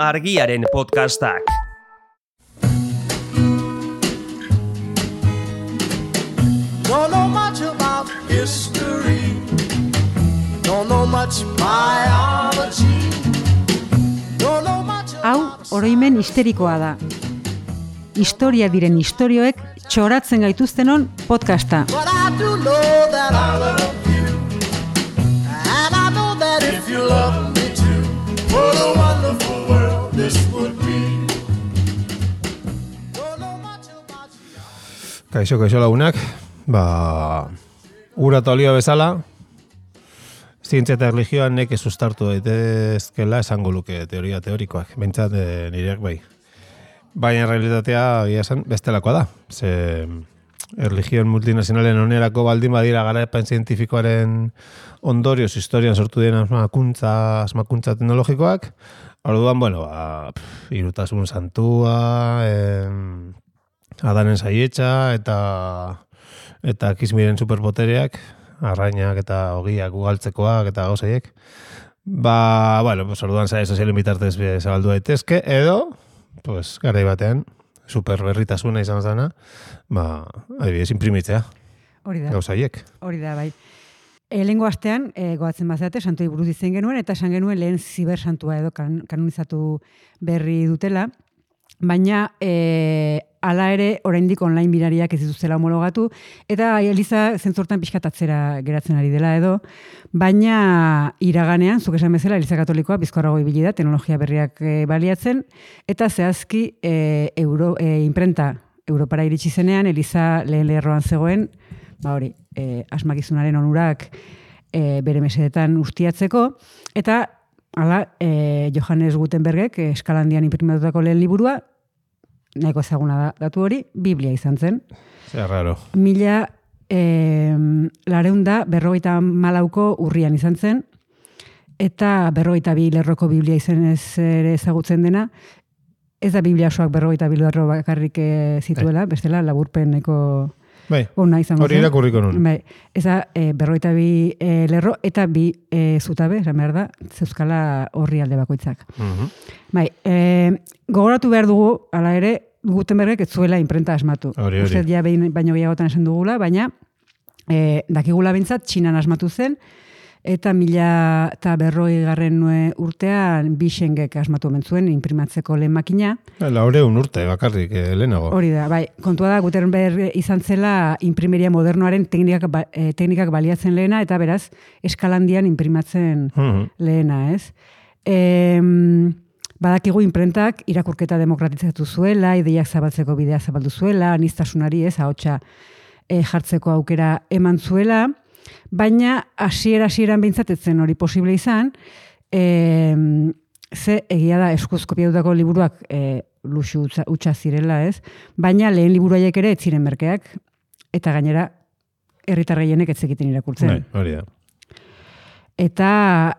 Argiaren podcastak. Don't know much about history. Don't know much biology. Don't know much Hau, oroimen histerikoa da. Historia diren istorioek txoratzen gaituztenon podcasta. But I do know that I love you. And I know that if you love me too, what a wonderful world this would be. Don't know much about you. Kaixo lagunak, ura eta olio bezala, zientzia eta erlijioan neke sustartu daitezkela esango luke teorikoak, behintzat nireak bai. Baina realitatea egia esan bestelakoa da. Ze erligion multinazionalen onerako baldin badira garapen zientifikoaren ondorioz historian sortu diren asmakuntza teknologikoak, orduan, irutasun santua, Adanen saietxa eta kismiren superpotereak, arrainak eta ogiak ugaltzekoak eta gauzaiek. Orduan zare sozialen bitartez zabaldu daitezke, edo garai batean, superberritasuna izan zana, adibidez imprimitzea. Hori da. Gauzaiek. Hori da, bai. Lehengo astean, goatzen bazate, santuei buruz izen genuen, eta esan genuen lehen zibersantua edo kanonizatu berri dutela, baina hala ere oraindik online binariak ez dituztela homologatu, eta Eliza zentzortan pixkatatzera geratzen ari dela edo, baina iraganean, zuk esan bezala, Eliza Katolikoa bizkorrago ibili da, teknologia berriak baliatzen, eta zehazki imprenta Europara iritsi zenean, Eliza lehen lerroan zegoen, asmakizunaren onurak bere mesedetan ustiatzeko, eta hala, Johannes Gutenbergek eskalandian imprimatutako lehen liburua, nahiko ezaguna da datu hori, Biblia izan zen. Zer raro. 1954 urrian izan zen, eta 42 lerroko Biblia izenez ere ezagutzen dena, ez da Biblia osoak 42 lerro bakarrik zituela, bestela laburpeneko ona izango zen. Hori irakurriko nun. Ez da 42 lerro eta 2 zutabe, esan behar da, zeuzkala horri alde bakoitzak. Gogoratu behar dugu, hala ere, Gutenbergek ez zuela imprenta asmatu. Uste ja baino gehiagotan esan dugula, baina dakigula bintzat, Txinan asmatu zen, eta 1940 urtean Bishengek asmatu omen zuen imprimatzeko lehen makina. 400 urte bakarrik lehenago. Hori da, kontua da Gutenberg izan zela imprimeria modernoaren teknikak baliatzen lehena, eta beraz, eskalandian imprimatzen lehena, ez? Badakigu imprentak irakurketa demokratizatu zuela, ideiak zabaltzeko bidea zabaldu zuela, aniztasunari ahotsa jartzeko aukera eman zuela, baina hasieran beintzatetzen hori posible izan, ze egia da eskuz kopiatutako liburuak luxu hutsa zirela, ez? Baina lehen liburuaiek ere ez ziren merkeak, eta gainera herritar gehienek ez zekiten irakurtzen. Hori da. Eta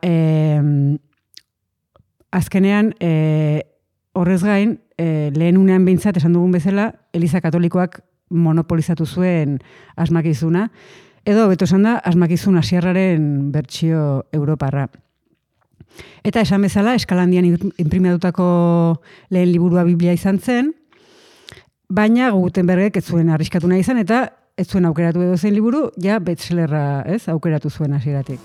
azkenean, horrez gain, lehen unean behintzat, esan dugun bezala, Eliza Katolikoak monopolizatu zuen asmakizuna, edo beto esan da, asmakizun asiarraren bertsio europarra. Eta esan bezala, eskalandian imprimatutako lehen liburua Biblia izan zen, baina Gutenbergek ez zuen arriskatu nahi izan, eta ez zuen aukeratu edo zen liburu, ja bestsellerra aukeratu zuen hasieratik.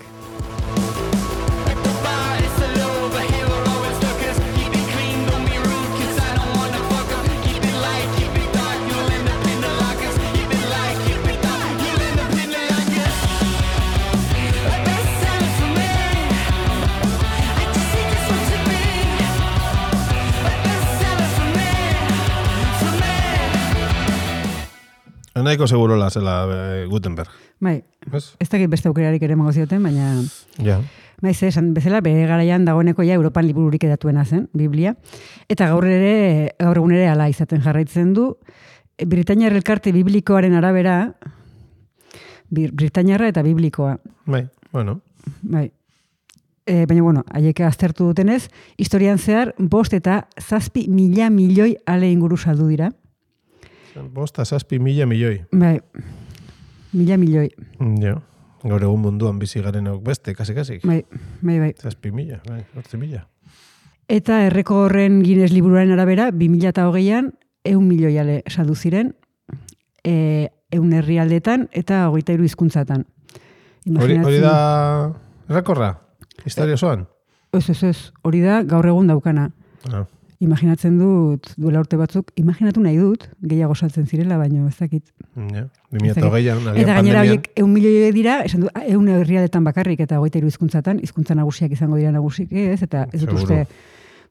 Nahiko segurola zela Gutenberg. Ez dakit beste aukerarik ere emango zioten, baina... Ja. Esan bezala, bere garaian dagoeneko Europan libururik edatuena zen, Biblia. Eta gaur egun ere ala izaten jarraitzen du. Britainiar elkarte biblikoaren arabera, Britainiarra eta biblikoa. Baina, haiek aztertu dutenez, historian zehar, 5 eta 7 mila milioi ale inguru saldu dira. 5 eta 7 mila milioi. Mila milioi. Ja. Gaur egun munduan bizi garenok beste, kasi. Bai. 7 mila, 8 mila. Eta errekordren Guinness liburuaren arabera, 2008an, 100 milioi ale saldu ziren, 100 herrialdetan eta 23 hizkuntzatan. Hori da errekorra? Historia osoan? Ez. Hori da gaur egun daukana. Imaginatzen dut, duela urte batzuk, imaginatu nahi dut, gehiago saltzen zirela, baina ez dakit. Ja, 2008an, eta gainera horiek 100 milioi dira, esan du, 100 herrialdetan bakarrik eta 23 hizkuntzatan, hizkuntza nagusiak izango dira nagusik, ez? Eta ez dut uste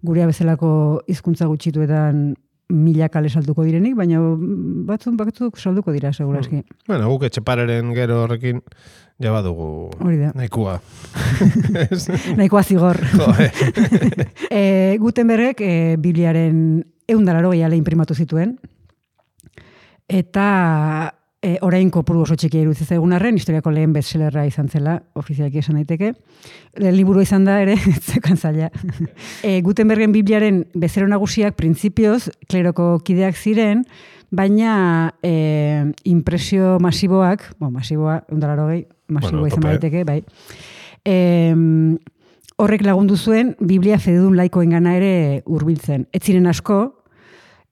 gurea bezalako hizkuntza gutxituetan milak ale salduko direnik, baina batzuk salduko dira, seguraski. Bueno, guk etxepareren gero horrekin ja badugu nahikoa. Nahikoa zigor. Gutenbergek Bibliaren 180 ale inprimatu zituen, eta orain kopuru oso txikia iruditzen zaigun arren, historiako lehen bestsellerra izan zela, ofizialki esan daiteke. Liburu izan da ere, zekan zaila. Gutenbergen Bibliaren bezero nagusiak printzipioz kleroko kideak ziren, baina impresio masiboak, masiboa, 180, masiboa izan daiteke, bai. Horrek lagundu zuen Biblia fededun laikoengana ere hurbiltzen. Ez ziren asko,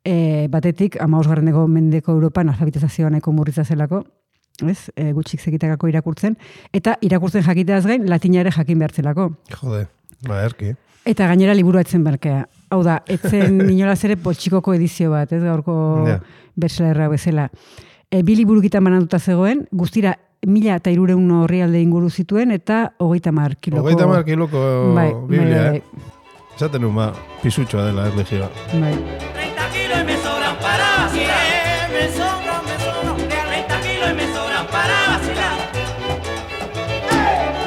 batetik, 15. mendeko Europan alfabetizazioa nahiko murritza zelako, ez? Gutxik zekitakako irakurtzen, eta irakurtzen jakiteaz gain, latina ere jakin behartzelako. Jode, erki. Eta gainera liburua etzen berkea. Hau da, etzen inolaz ere poltsikoko edizio bat, ez gaurko bestsellerra bezala. Bi liburukitan banatuta zegoen, guztira 1.300 orrialde inguru zituen, eta 30 kiloko... 30 kiloko Biblia, Esaten un pisutxoa dela erlijioa. Bai. 30 kilos y me sobran para vacilar. Me sobran. 30 kilos y me sobran para vacilar.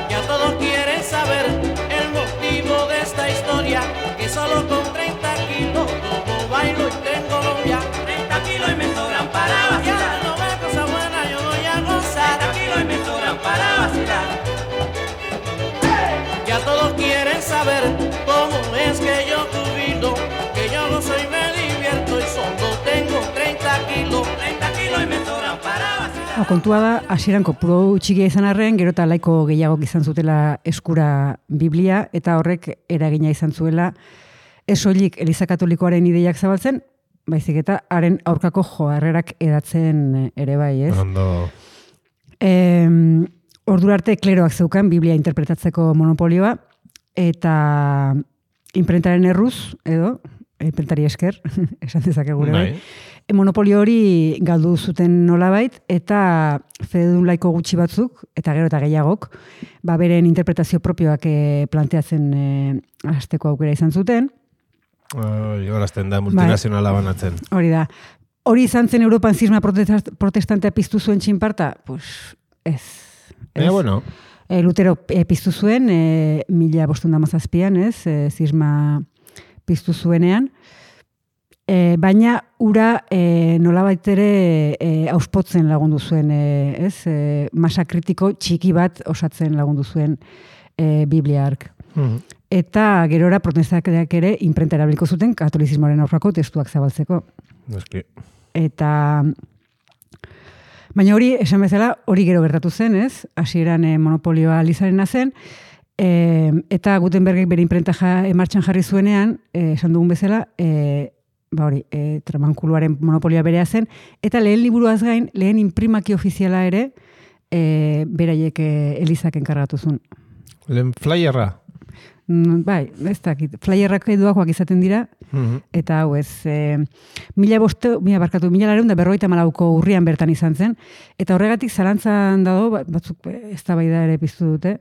Ya todos quieren saber el motivo de esta historia, que solo con 30 kilos como bailo y tengo novia. 30 kilos y me sobran para vacilar. Ya no ve cosa buena, yo voy a gozar. 30 kilos y me sobran para vacilar. Ya todos quieren saber cómo es que yo jubilo, que yo no soy, me divierto y solo tengo 30 kilos y me sobran para vacilar. Kontua da, hasieran kopuru txikia izan arren, gero eta laiko gehiagok izan zutela eskura Biblia, eta horrek eragina izan zuela ez soilik Eliza Katolikoaren ideiak zabaltzen, baizik eta haren aurkako joarrerak edatzen ere bai, ez? Ondo. Ordura arte kleroak zeukan Biblia interpretatzeko monopolioa, eta imprentaren erruz, edo, imprentari esker, esan dezakegu bai. Monopolio hori galdu zuten nolabait, eta fededun laiko gutxi batzuk, eta gero eta gehiagok, beren interpretazio propioak planteatzen hasteko aukera izan zuten. Horazten da, multinazionala banatzen. Hori da. Hori izan zen Europan zisma protestantea piztu zuen txinparta? Pues ez. Bueno. Lutero piztu zuen, 1517an, ez, zisma piztu zuenean, baina ura nolabait ere auspotzen lagundu zuen, ez, masa kritiko txiki bat osatzen lagundu zuen Biblia hark. Eta gerora protestanteak ere imprenta erabiliko zuten katolizismoaren aurkako testuak zabaltzeko. Eta... Baina hori, esan bezala, hori gero gertatu zen, ez? Hasieran monopolioa Lizarena zen, eta Gutenbergek bere imprenta martxan jarri zuenean, esan dugun bezala, tramankuluaren monopolioa berea zen, eta lehen liburuaz gain, lehen imprimaki ofiziala ere, beraiek Elizak enkargatu zuen. Lehen flyerra? Bai, ez dakit. Flyerrak edoakoak izaten dira, eta hau ez, 1954ko urrian bertan izan zen, eta horregatik zalantzan dago, batzuk ez da bai da ere piztu dute,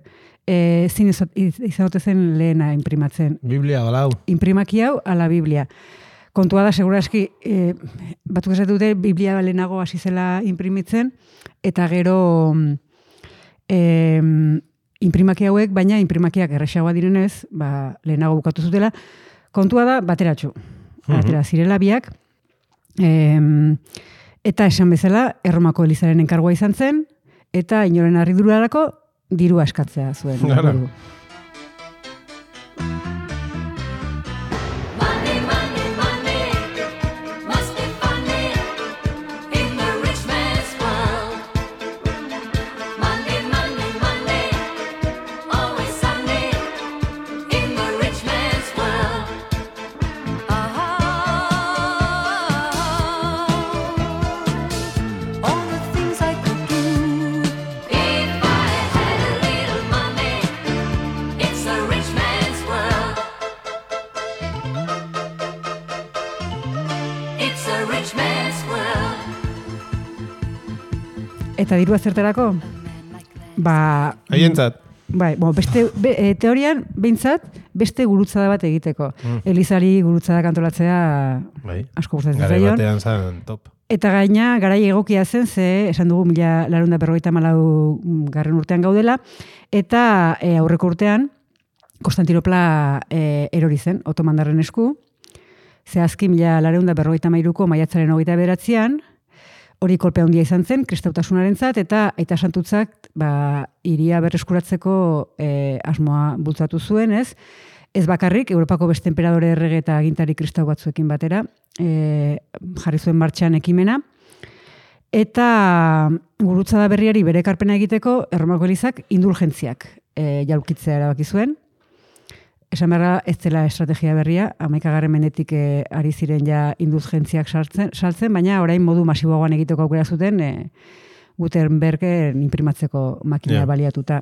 zin izanote zen lehena imprimatzen. Biblia, galau. Imprimaki hau, ala Biblia. Kontua da, seguraski, batzuk esatu dute, Biblia lehenago hasi zela imprimitzen, eta gero... imprimaki hauek, baina imprimakiak erresagoa direnez, lehenago bukatu zutela, kontua da bateratxu. Batera zirela biak, eta esan bezala, Erromako Elizaren enkargoa izan zen, eta inoren harridurarako dirua eskatzea zuen. Eta dirua zertarako? Haientzat. Bai, teorian, behintzat, beste gurutzada bat egiteko. Elizari gurutzada kantolatzea asko gustatzen Garai zaion. batean zan top. Eta gaina, garai egokia zen, ze esan dugu 1454 urtean gaudela, eta aurreko urtean, Konstantinopla erori zen, otomandarren esku, zehazki 1453ko maiatzaren 29an, hori kolpe handia izan zen, kristautasunaren,zat, eta aita santutzak hiria berreskuratzeko asmoa bultzatu zuen, ez? Ez bakarrik, Europako beste enperadore errege eta agintari kristau batzuekin batera, jarri zuen martxan ekimena, eta gurutzada berriari bere ekarpena egiteko, Erromako Elizak indulgentziak jaulkitzea erabaki zuen. Esan beharra ez dela estrategia berria, 11. mendetik ari ziren ja indulgentziak saltzen, baina orain modu masiboagoan egiteko aukera zuten Gutenbergen imprimatzeko makina baliatuta.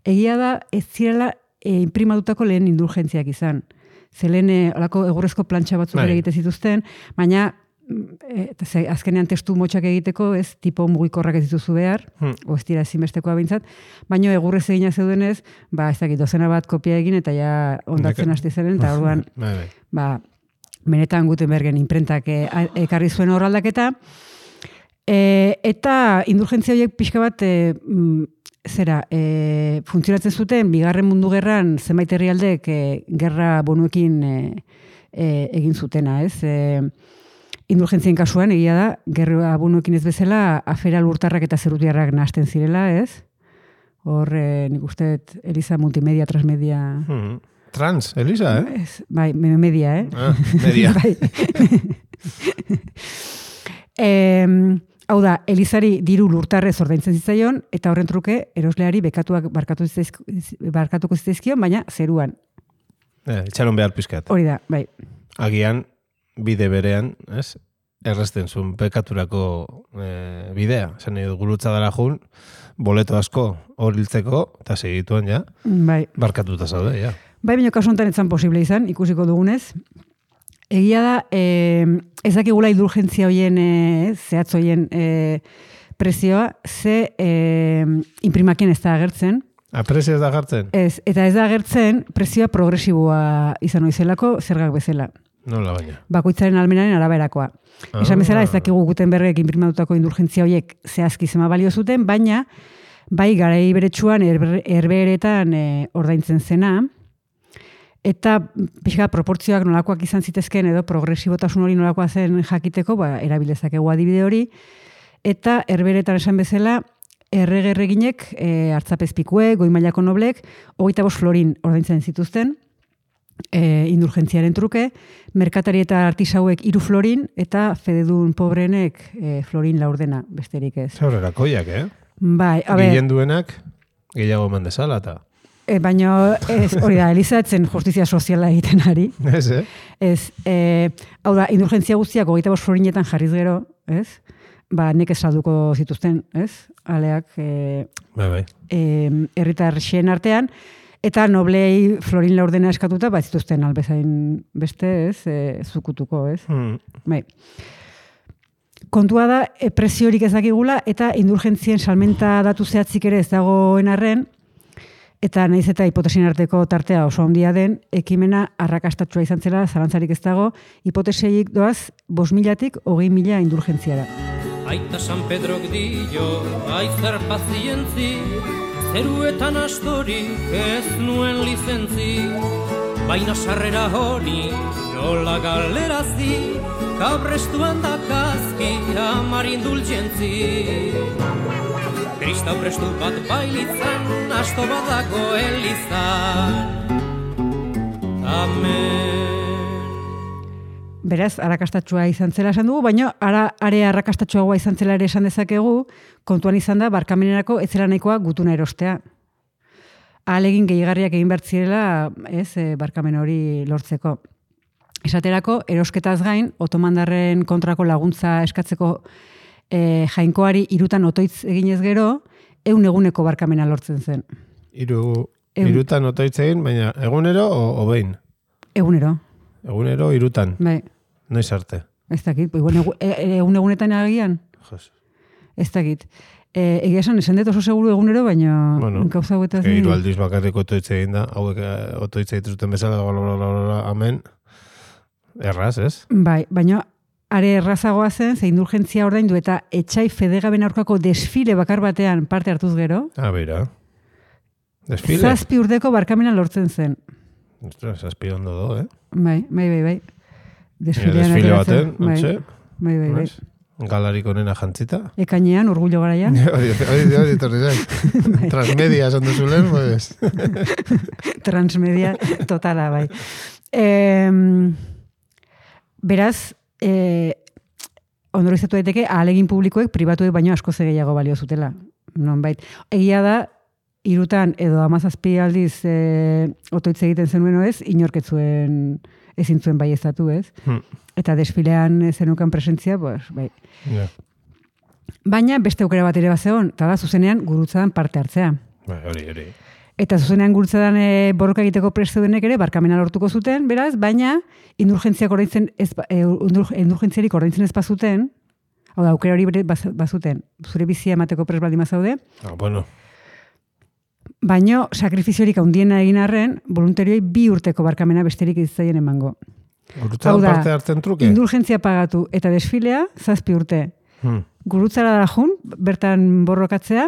Egia da, ez zirela imprimatutako lehen indulgentziak izan. Ze lehen olako egurrezko plantxa batzuk ere egite zituzten, baina azkenean testu motxak egiteko, ez, tipo mugikorrak ez dituzu behar, o ez dira ezinbestekoa bintzat, baina egurrez egina zeudenez, ez dakit, dozena bat kopia egin, eta ja ondatzen hasti zeren, eta orduan, benetan Gutenbergen imprentak ekarri zuen horraldaketa, eta indulgentzia horiek pixka bat, funtzionatzen zuten, Bigarren Mundu Gerran zenbait herrialdek gerra bonuekin egin zutena, ez? Indulgentzien kasuan, egia da, gerra bonuekin ez bezala, afera lurtarrak eta zerutiarrak nahasten zirela, ez? Hor, nik uste, Eliza multimedia, transmedia... Trans, Eliza, Bai, media, media. Hau da, Elizari diru lurtarrez ordaintzen zitzaion, eta horren truke, erosleari barkatuko zitzaizkion, baina zeruan. Itxaron behar pizkat. Hori da, bai. Agian, bide berean, ez? Erresten zuen pekaturako bidea. Zen gurutza dara jun, boleto asko hor hiltzeko, eta segituan ja, barkatuta zaude, ja. Bai, baina kasu honetan etzan posible izan, ikusiko dugunez. Egia da, ez dakigula indulgentzia hoien, zehatz hoien prezioa, ze imprimakien ez da agertzen. Prezioa ez da agertzen? Ez, eta ez da agertzen prezioa progresiboa izan oizelako zergak bezala. Nola baina? Bakoitzaren almenaren araberakoa. Esan bezala ez dakigu Gutenbergek imprimatutako indulgentzia horiek zehazki zema balio zuten, baina bai garai beretsuan herbeeretan ordaintzen zena, eta pixka proportzioak nolakoak izan zitezken edo progresibotasun hori nolakoa zen jakiteko, erabilezakegu adibide hori, eta herbeeretan esan bezala erreginek, hartzapezpikuek, goi mailako noblek, 25 florin ordaintzen zituzten, indulgentziaren truke, merkatari eta artisauek 3 florin, eta fededun pobrenek florin laurdena, besterik ez. Zaurera koiak, Bai, a ber... Gillen duenak, gehiago eman dezala, eta... Baina, hori da, Eliza etzen justizia soziala egiten ari. Ez, Ez, hau da, indulgentzia guztiak 25 florinetan jarriz gero, ez? Nekez salduko zituzten, ez? Aleak, herritar xeen artean, eta noblei florin laurdena eskatuta, zituzten albezain beste, ez? Zukutuko, ez? Bai. Kontua da, preziorik ez dakigula, eta indulgentzien salmenta datu zehatzik ere ez dagoen arren, eta nahiz eta hipotesien arteko tartea oso handia den, ekimena arrakastatsua izan zela, zalantzarik ez dago, hipotesiaik doaz 5.000-tik 20.000 indulgentziara. Aita San Pedrok dio, aizar pazientzi, zeruetan astorik ez nuen lizentzi, baina sarrera honi nola galerazi, kabrestuan dakazki amar indulgentzi. Kristau prestu bat bailitzan, asto badako elizan. Amen. Beraz, arrakastatsua izan zela esan dugu, baina are arrakastatsuagoa izan zela ere esan dezakegu, kontuan izan da, barkamenerako ez zela nahikoa gutuna erostea. Ahalegin gehigarriak egin behar zirela, barkamen hori lortzeko. Esaterako, erosketaz gain, otomandarren kontrako laguntza eskatzeko jainkoari 3 otoitz eginez gero, 100 eguneko barkamena lortzen zen. 3 otoitz egin, baina egunero o behin? Egunero. Egunero 3. Bai. Noiz arte? Ez dakit, 100 egunetan agian. Jos. Ez dakit. Egia esan dut oso seguru egunero, baina gauza hauetaz... Hiru aldiz bakarrik otoitze egin da, hauek otoitze dituzten bezala, amen, erraz, ez? Bai, baina are errazagoa zen, ze indulgentzia ordaindu eta etxai fedegaben aurkako desfile bakar batean parte hartuz gero. Bera. Desfile? 7 urteko barkamena lortzen zen. Ostras, 7 ondo do, Bai. Desfile baten, Bai. Galarik onena jantzita. Ekainean, orgullo garaia. Hori, torri zen. Transmedia esan duzulen, pues. Transmedia totala, bai. Beraz, ondorizatu daiteke, ahalegin publikoek pribatuek baino asko gehiago balio zutela. Nonbait. Egia da, 3 edo 17 aldiz otoitze egiten zenuen ez, inorketzuen ezin zuen baieztatu, ez? Eta desfilean zenukan presentzia, pues, bai. Yeah. Baina beste aukera bat ere bazegon, eta da zuzenean gurutzadan parte hartzea. Bai, hori. Eta zuzenean gurutzadan borroka egiteko prest zeudenek ere barkamena lortuko zuten, beraz, baina indulgentziarik ordaintzen ez bazuten, hau da, aukera hori bazuten, zure bizia emateko prest baldin bazaude. Bueno. Baina sakrifiziorik handiena egin arren, voluntarioi 2 urteko barkamena besterik izaien emango. Gurutzadan parte hartzen truke? Indulgentzia pagatu eta desfilea 7 urte. Gurutzara da jun, bertan borrokatzea,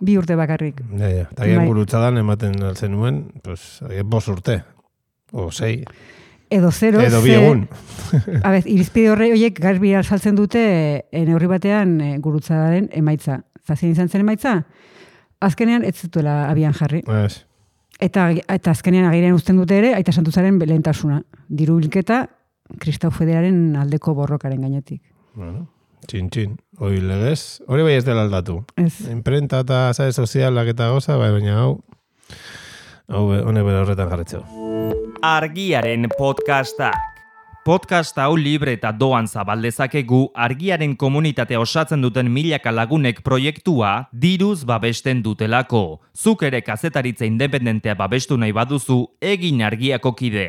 2 urte bakarrik. Eta gurutzadan ematen altzen nuen, pues, 5 urte. O 6. Edo 0. Edo 2 egun. Irizpide horiek garbi alzaltzen dute neurri batean gurutzadaren emaitza. Zazien izan zen emaitza? Azkenean ez zutuela abian jarri. Ez. Eta azkenean agirian uzten dute ere, Aita Santuzaren lehentasuna. Diru bilketa, Kristau Federaren aldeko borrokaren gainetik. Bueno, txin. Hori legez, hori bai ez dela aldatu. Ez. Imprenta eta sare sozialak eta goza, baina hau honek bera horretan jarretzeu. Argiaren podcastak. Podcast hau libre eta doan zabaldezakegu Argiaren komunitatea osatzen duten milaka lagunek proiektua diruz babesten dutelako. Zuk ere kazetaritza independentea babestu nahi baduzu, egin Argiako kide.